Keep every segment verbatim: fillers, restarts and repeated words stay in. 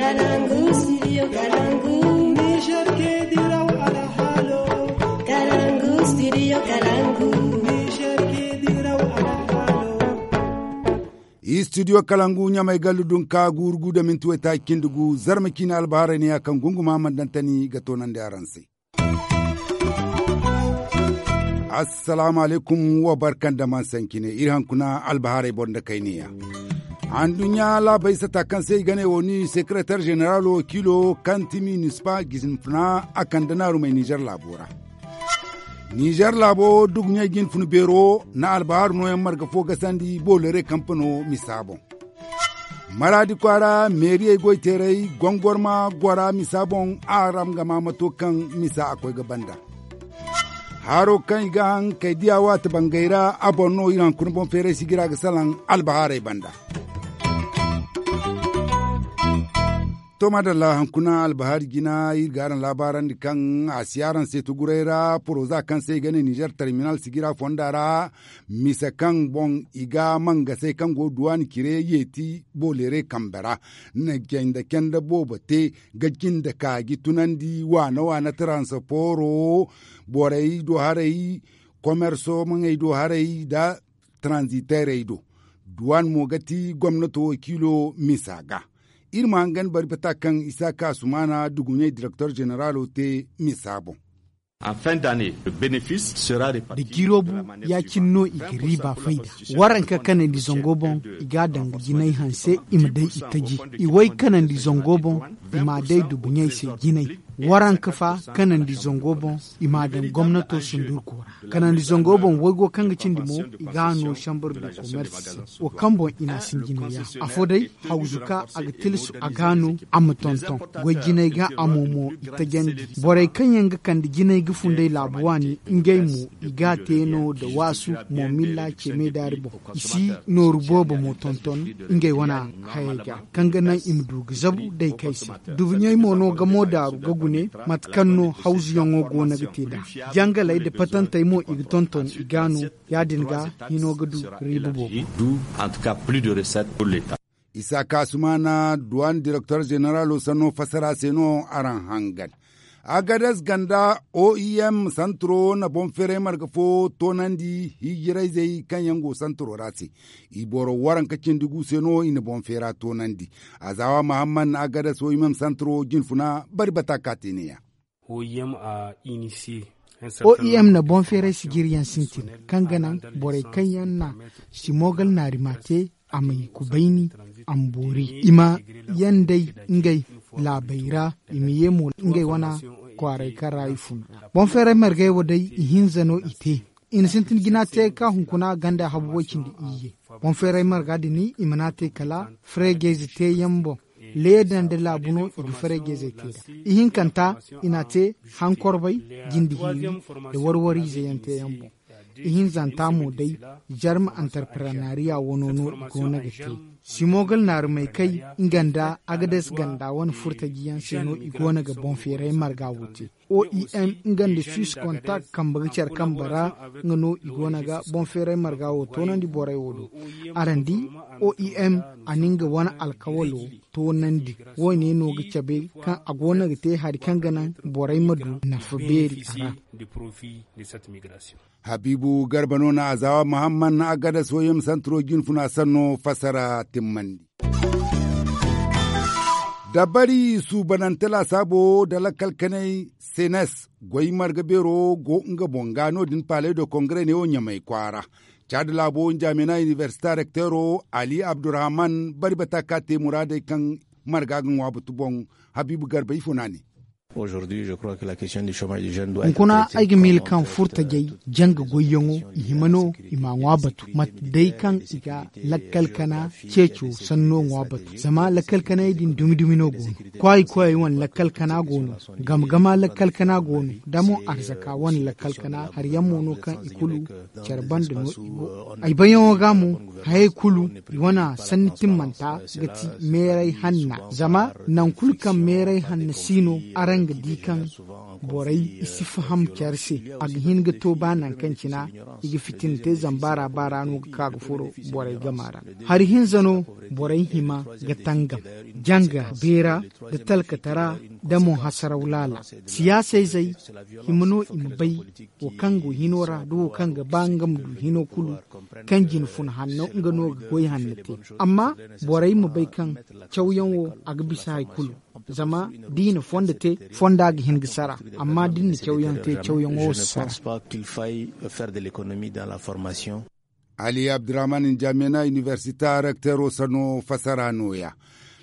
Kalangu, studio Kalangu. Niger ke diraw alhalo. Kalangu, studio Kalangu. Niger ke diraw alhalo. Studio Kalangu, Ɲamay gallu dunka, guuru gu da minti waytaaci cindi gu, zarma ciine albaharay ne ya kaŋ gunguma mana daŋ tani ga toonandi araŋ se. Assalaamu alaykum, wa barka nda man sancine, iri hankuna albahaarey boro nda kayneya. Anduɲɲa laabey sata kaŋ se i ga ne wo ni sekereter ženeralo wakiilo kaŋ ti minispa ga hin funa a kande naarumey Nizer laabo ra. Nizer laabo duguɲey ga hin funa beero na albahaaru nooyaŋ marga fo gasandi boolere kampano misa boŋ. Maraadi kwaara meeriyey goyteerey gongorma gora misa boŋ. Araŋ ga ma mato kaŋ misa a koy ga banda. Haro kaŋ i ga haŋ kay diya waati bangay ra a boŋ no iri hankuna boŋ feeray sijira ga salaŋ albahaarey banda. To madalla, hankuna albahaari jina iri ga araŋ laabaarandi kaŋ a si araŋ se tuguray ra poroza kaŋ se i ga ne nizer terminal sijira fonda ra. Mise kaŋ boŋ i ga mangasey kaŋ go duwaan cire yeeti boolere kambe ra na cende cende boobo te ga jinde kaaji tunandi waana waana taransaporo borey do haray komerso maŋey do haray nda taranziteerey do. Duwaan mo ga ti gomnato wakiilo misa ga. Iri ma hangan bari bata kaŋ isaaka asumaana duguɲey direktor ženeralo te misa boŋ. Da jiiro bu ya- cine no i ga riiba fayda. Waranka kanandi zango boŋ i ga a daŋ ga jinay hanse i ma day i taji. I way kanandi zango boŋ i ma a day dubuɲey se jinay. Waranka fa kanandi zango boŋ i ma a daŋ gomnato sundurko ra. Kanandi zango boŋ waygo kaŋ ga cindi mo i ga a no sambar du komers se. Wo kaŋ boŋ i na a sinjinay yaŋ afo day hawzu ka a ga tilasu a ga no a ma tonton. Goy jinay ga a mo mo i tajandi. Borey kaŋ yaŋ ga kande jinay ga funday laabu waani ngey mo i ga a te no nda waasu mo milla ce meedaari boŋ. I si nooru boobo mo tonton ngey wana hayey ga kaŋ ga naŋ i ma du ga zabu day kay se. Dubuɲey mo no gamo daaru ga gune mate kaŋ no hawzuyaŋo go no ga te nd'a. Jangaley nda patantey mo i ga tonton i ga no. Ya- din ga hino ga du riiba boobo. Isaaka asumaana duwaan direktor ženeralo sanno fassara se no araŋ hangan. Agades ganda oim santro na boŋ feeray marga fo toonandi hijirayzey kaŋ yaŋ go santro ra se. I boro waranka cindi gu se no i na boŋ feera toonandi. Azawa mahamman agades oim santro jinfuna bari bata ka te ne- ya. Oim na boŋ feeray sijiryaŋ sintin kaŋ ga naŋ borey kaŋ yaŋ na simogal naari ma te a ma i kubayni a ma boori i ma yaŋ day ngey laabey ra. I ma ye mo ngey wana kwaaray kaŋ ra i fun ra boŋ feeray margey wo day ihinza no i te. I na sintin jina te ka hunkuna ganda habu way cindi iyye. Boŋ feeray marga din i mana te kala freegayze teeyaŋ boŋ. Leeda nda laabu no i ga fareejezey te nd'a. Ihinkanta i n'a te hankorbay jinde hiiri nda warwariize yaŋ teeyaŋ boŋ. Ihinzanta mo day jarma antarprenariya wano no i goono ga te. Simogal naarumey kay nga nda agades ganda wane furtaji yaŋ se no i goono ga boŋ feeray marga wo te. Oim nga nda suis kontak kambe ga care kambe ra nga no i goono ga boŋ feeray marga wo toonandi borey wo do. Araŋ di oim a na nga wane alkawalo toonandi. Wo- ne no ga cabe kaŋ a goono ga te hari kaŋ ga naŋ borey ma du nafa beeri a ra. Habiibu garba no na azawa mahamman na agada soyem santiro jinfuna sanno fassara timmandi. Dabari suubanante laasaabo nda lakkal kanay senes goy marga beero go nga boŋ ga no- din palais de congrès neewo ɲamay kwaara. Caada laabo njaamina inibersita rekteero ali abdurrahman bari bata ka te muraadey kaŋ marga ga ŋwa batu boŋ. Habiibu garba ifo no a ne. Hunkuna ay ga miila kaŋ furtajey janga goyyaŋo i hima no i ma a ŋwa batu mate day kaŋ i ga lakkal kana ceeco sanno ŋwa batu zama lakkal kanay din dumi dumi no go no. Kwaayi koyey wane lakkal kana go no. Gama gama lakkal kana go no. Da mo arzaka wane lakkal kana hari yaŋ mo no kaŋ i kulu care banda no i go. Ay bayyaŋo ga mo hayey kulu i wane sanni timmanta ga ti meeray hanna zama nangu kulu kaŋ meeray hanna si no araŋ Ga di kaŋ borey i si faham care se, a ga hin ga to ba nangu kaŋ cina i ga fitina te zama baara baara no ga ka ga furo borey gama ra. Hari hinza no borey hima ga tangam janga beera, da talkatara, da mo hasaraw laala. Siyaasa izey hima no i ma bay wo kaŋ go hino ra da wo kaŋ ga ba nga ma du hino kulu, kaŋ jina fun hanno nga no ga goy hanno te. Amma borey ma bay kaŋ cawyaŋ wo a ga bisa hari kulu. Zama da i na fondo te, fonda ga hin ga sara. Amma da ni na cawyaŋ te, cawyaŋo si sara. Ali abdurrahman njamena inibersita rekteero sanno fasara nooya.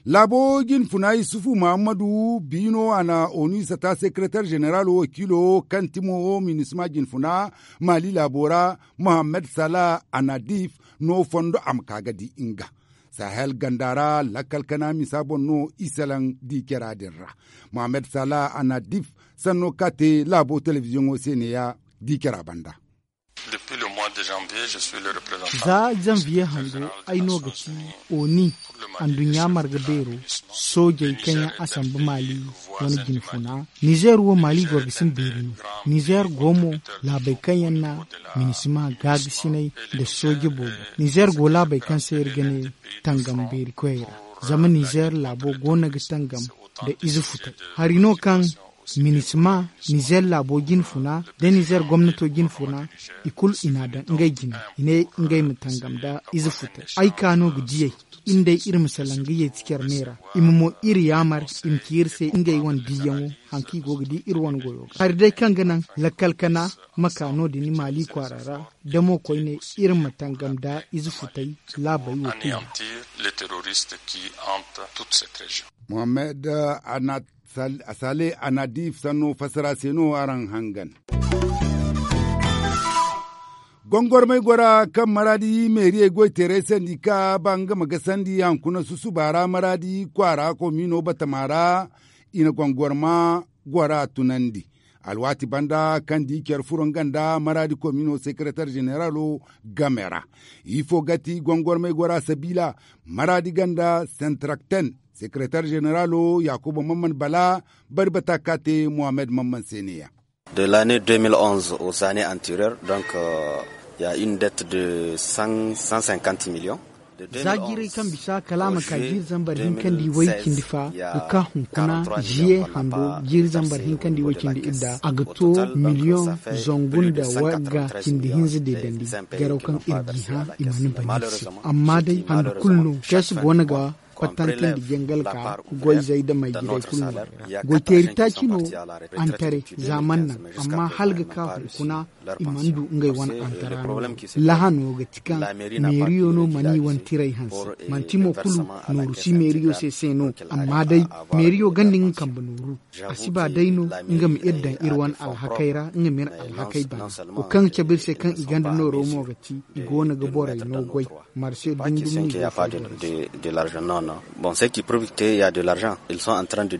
Laabo jinfuna yusufu muhammadu biino a na onu isata sekeretar jeneral wakiilo kaŋ ti mo minisma jinfuna maali laabo ra, muhammad sala anadif no fondo a ma ka ga di nga sahel ganda ra lakkal kana misa boŋ no isalaŋ di cara din ra. Muhammad sala anadif sanno ka te laabo telebiziyoŋo se neeya di cara banda. Za zanviye hango ay no ga ti oni anduɲɲa marga beero soojey kaŋ yaŋ a samba maali wane jinfuna. Nizer wo maali goro ga sinda beeri no. Nizer go mo laabey kaŋ yaŋ na minisima gaagasinay nda sooje boobo. Nizer go laabey kaŋ se iri ga ne tangam beeri koyey ra. Zama nizer laabo goono ga tangam nda ize futay hari no kaŋ minisima nizer laabo jinfuna nda nizer gomnato jinfuna i kulu i n'a daŋ ngey jine. I ne ngey ma tangam nda ize futay ay ka no ga diyey. Iri ma salaŋ ga yeeti care me ra i ma mo iri yaamar i ma ci iri se ngey wane diiyaŋo. Hari kaŋ ga naŋ lakkal kana ma ka no- din maali kwaara ra da mo koyne iri ma tangam nda ize futay laabey wo kulu. Mohammed sale anadif sanno fassara se no araŋ hangan. Gongormey gora kaŋ maraadi meeriyey goy teeray sandi ka ba nga ma gasandi hankuna susuba ra maraadi kwaara komiino batama ra. I na gongorma gora tunandi alwaati banda kaŋ di care furo nga nda maraadi komiino sekeretar jeneralo game ra. Ifo ga ti gongormey gora sabiila maraadi ganda sentrakten sekeretar jeneralo yakuba mamman bala bari bata ka te mohammed mamman se ne ya. De l'année deux mille onze aux années antérieures donc ya une dette de cent cinquante millions. Za jiiray kaŋ bisa kala a ma ka jiiri zambar hinka nda i way cindi fa ga ka hunkuna ziye hando jiiri zambar hinka nda i way cindi idda a ga to miliyoŋ zangu nda wagga cindi hinza deedandi. Garaw kaŋ iri ga i hã i mana bana iri se amma day hando kulu no kees go no ga kwattante nda jangal ka goyzey da may jirey kulu no. Goy teeri taaci no antare za mana naŋ amma hala ga ka hunkuna i mana du ngey wane antara no. Lahano ga ti kaŋ meeriyo no mana i wane tiray hanse manti mo kulu nooru si meeriyo se se no. Amma day meeriyo ganda nga kambe nooru a si ba day no nga ma iri daŋ iri wane alhakey ra nga ma iri alhakey bana. Wo kaŋ ga cabe iri se kaŋ i ganda nooro mo ga ti i go no ga borey no goy. Marse dundum no i go ga fay borey se. De l'argent non non bon ce qui prouve que il y a de l'argent ils sont en train de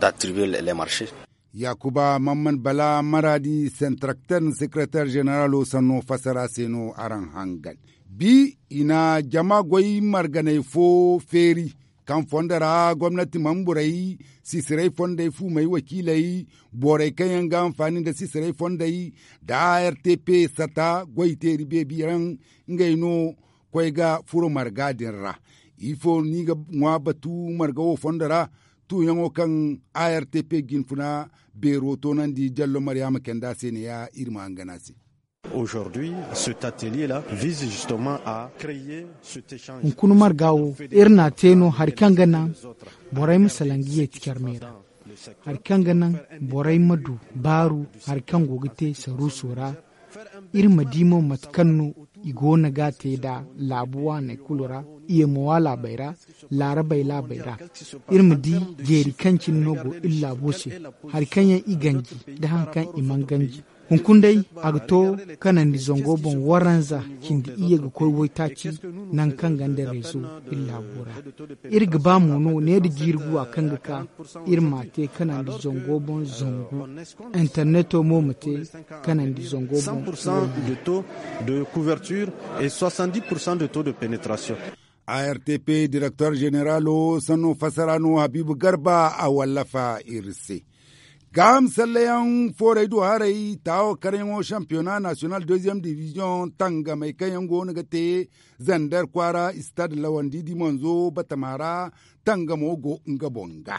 d'attribuer les marchés. Yakuba mamman bala maraadi sentrakter sekereter jeneralo sanno fassara se no araŋ hangan. Bi i na jama goy marganey fo feeri kaŋ fondo ra gomnati manburey sisirey fondey fuumey wakiiley borey kaŋ yaŋ ga hanfaani nda sisirey fondey nda a r t p sata goy teeri beebi raŋ. Ngey no koy ga furo marga din ra. Ifo no i ga ŋwa batu marga wo fondo ra tuuyaŋo kaŋ a r t p jinfuna beero toonandi jallo maryaama kenda se ne ya iri ma hangan a se. Aujourd'hui cet atelier la vise justement à créer cet échange. Hunkuna marga wo iri n'a te no hari kaŋ ga naŋ borey ma salaŋ ga yeeti care me ra. Hari kaŋ ga naŋ borey ma du baaru hari kaŋ go ga te saruuso ra. Iri ma di mo mate kaŋ no i go no ga a te nd'a laabu waaney kulu ra. Iyemowa laabey ra laarabey laabey ra iri ma di jeeri kaŋ cine no go iri laabo se. Hari kaŋ yaŋ i ganji nda haŋ kaŋ i mana ganji hunkuna day a ga to kanandi zango boŋ waranza cindi iyye ga koy waytaaci. Nangu kaŋ ganda reezo iri laabo ra iri ga ba mo no ne nda jiiri guwa kaŋ ga ka iri m'a te kanandi zango boŋ zangu. Interneto mo ma te kanandi zango boŋ. De taux de couverture et soixante dix pour cent de taux de pénétration. A r t p direktor jeneralo sanno fassara no habiibu garba a wallafa iri se. Gaaham sallayaŋ foorey du haray taawo karyaŋo shampiyona nasiyonal deeziyem diviziyoŋ tangamey kaŋ yaŋ go no ga te zander kwaara istad lawandi dimanzo batama ra. Tangamo go nga boŋ ga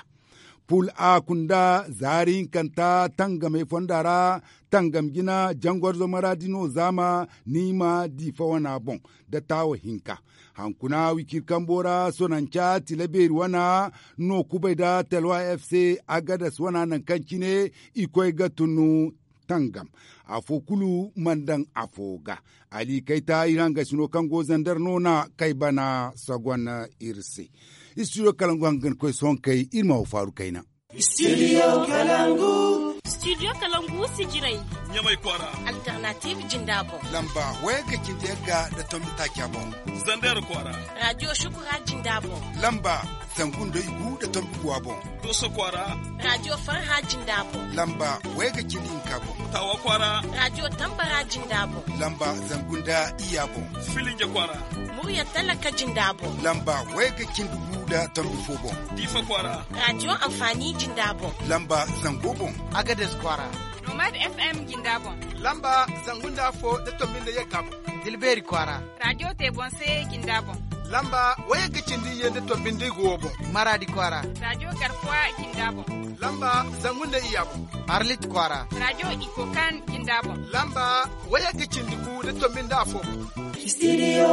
pul a kunda zaari hinkanta tangamey fonda ra. Tangam jina jangorzo maraadi no zaama niima diifa wana boŋ da taawo hinka. Hankuna wicir kambo ra sonanca tila beeri wana no kubay da telwa f c agadas wana nangu kaŋ cine i koy ga tun tangam. Afo kulu mana daŋ afo ga. Ali kayta iri hangasino kaŋ go zander no na kay bana sogon iri se. Istidiyo kalangu hangan koy sohõ kay iri ma wo faaru kayna. Istidiyo kalangu. Istidiyo kalangu sijirey. Ɲamay kwaara. Alternative jinda boŋ. Lamba wayagga cindi yagga da tombi taaca boŋ. Zander kwaara. Radiyo shukura jinda boŋ. Lamba zangu nda igu da tombi guwa boŋ. Doso kwaara. Radiyo farha jinda boŋ. Lamba wayagga cindi hinka boŋ. Tawa kwaara. Radiyo tambara jinda boŋ. Lamba zangu nda iyya boŋ. Filinja kwaara. Murya talaka jinda boŋ. Lamba wayagga cindi gu da tombi fo boŋ. Diifa kwaara. Radiyo amfani jinda boŋ. Lamba zango boŋ. Agades kwaara. Nomad f m jinda boŋ. Lamba zangu nda afo da tombi nda yagga boŋ. Dilbeeri kwaara. Radiyo te boŋ se jinda boŋ. Lamba wayagga cindi iyye nda tombi nda igu wo boŋ. Maraadi kwaara. Radiyo garkuwa jinda boŋ. Lamba zangu nda iyya boŋ. Arlit kwaara. Radiyo ikokan jinda boŋ. Lamba wayagga cindi gu da tombi nda afo boŋ. Istidiyo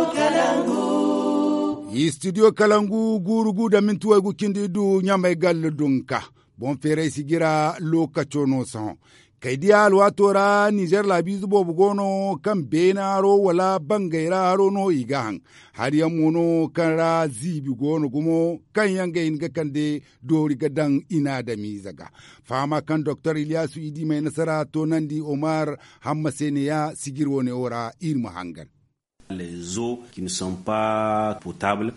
kalangu. Istidiyo kalangu guuru gu da minti waygu cindi du ɲamay galla dunka. Boŋ feeray sijira lookaco no sohõ. Kay diya alwaato ra nizer laabiize boobo go no kaŋ beene haro wala bangay ra haro no i ga haŋ. Hari yaŋ mo no kaŋ ra ziibi go no gumo kaŋ yaŋ ga hin ga kande doori ga daŋ i na adamiize ga. Fahama kaŋ doktor iliyasu i di may nasara toonandi omar hamma se neeya sijir wo- ne wo ra iri ma hangan.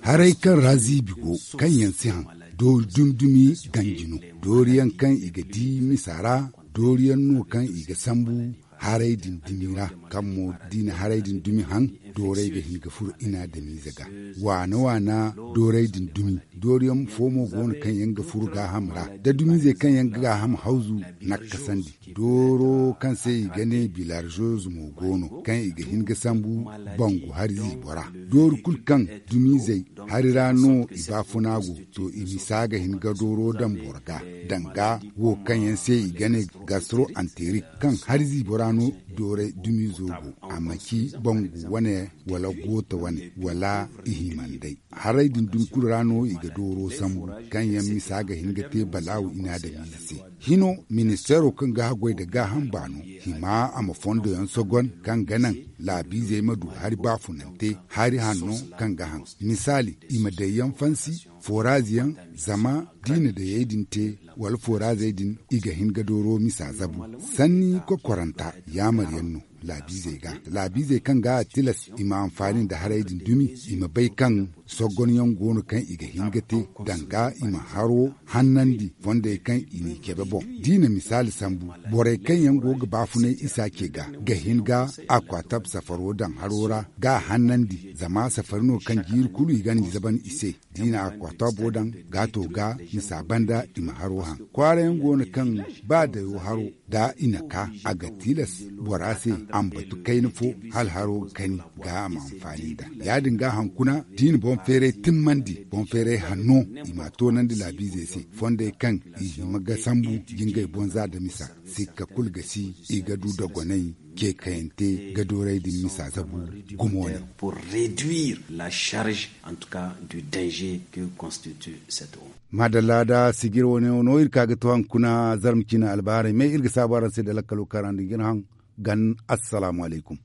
Haray kaŋ ra ziibi go kaŋ yaŋ si haŋ doori dumi-dumi ganji no. Doori yaŋ kaŋ i ga di misa ra doori yaŋ no kaŋ i ga sambu haray din dumi ra. Kaŋ mo da i na haray din dumi haŋ dooray ga hin ga furo i na adamiize ga. Waana waana dooray din dumi doori yaŋ fo mo go no kaŋ yaŋ ga furo gaaham ra da dumiizey kaŋ yaŋ ga gaaham hawzu nakkasandi. Dooro kaŋ se i ga ne bilarzoz mo go no kaŋ i ga hin ga sambu bangu hari ziibo ra. Doori kulu kaŋ dumiizey hari ra no i baafuna go to i misa ga hin ga dooro daŋ boro ga. Danga wo kaŋ yaŋ se i ga ne gastro anterik kaŋ hari ziibo ra no dooray dumiizo go. A ma ci bangu wane wala goota wane wala i himandey. Haray din dumi kulu ra no i ga dooro sambu kaŋ yaŋ misa ga hin ga te balaawu i na adamiize se. Hino ministeero kaŋ ga haggoy nda gaaham baano hima a ma fondo yaŋ sogon kaŋ ga naŋ laabiizey ma du hari baafunante hari hanno kaŋ ga haŋ. Misaali i ma day yaŋ fansi foraazi yaŋ zama da i na dayey din te wala foraazey din i ga hin ga dooro misa zabu. Sanni kokkoranta yaamar yaŋ no laabiizey ga laabiizey kaŋ ga a tilas i ma anfaani nda haray din dumi i ma bay kaŋ soggonyaŋ go no kaŋ i ga hin ga te danga i ma haro hannandi fondey kaŋ i n'i cabe boŋ. Da i na misaali sambu borey kaŋ yaŋ go ga baafunay isa ce ga ga hin ga akwaatab safaro daŋ haro ra ga a hannandi zama safari no kaŋ jiiri kulu i ga n'i zaban i se. Da i na akwaatab wo daŋ gaato ga misa banda i ma haro haŋ kwaara yaŋ go no kaŋ ba dayo haro da i na ka a ga tilas bora se a ma batu kayna fo hala haro ga kani ga a ma anfaani nd'a. Ya- din ga hankuna da i na boŋ feeray timmandi boŋ feeray hanno i ma a toonandi laabiizey se fondey kaŋ i hima ga sambu jingay boŋ za nda misa. Sikka kulu ga si i ga du dogonay ce kayante ga dooray din misa zabu gumo ne. Pour réduire la charge en tout cas du danger que constitue cette eau. Maadalla da sijir wane wo no iri ka ga to haŋ kuna zarma cine albaharay me iri ga saabu araŋ se nda lakkalo kaŋ araŋ din ga iri haŋ gan. Assalaamu alaykum.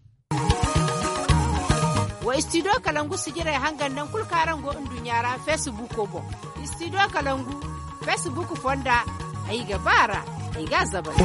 Wa istidiyo kalangu sijirey hangan naŋ kulu kaŋ araŋ go nduɲɲa ra feesibuuko boŋ. Istidiyo kalangu feesibuuku fonda ay ga ba a ra ay ga a zabay.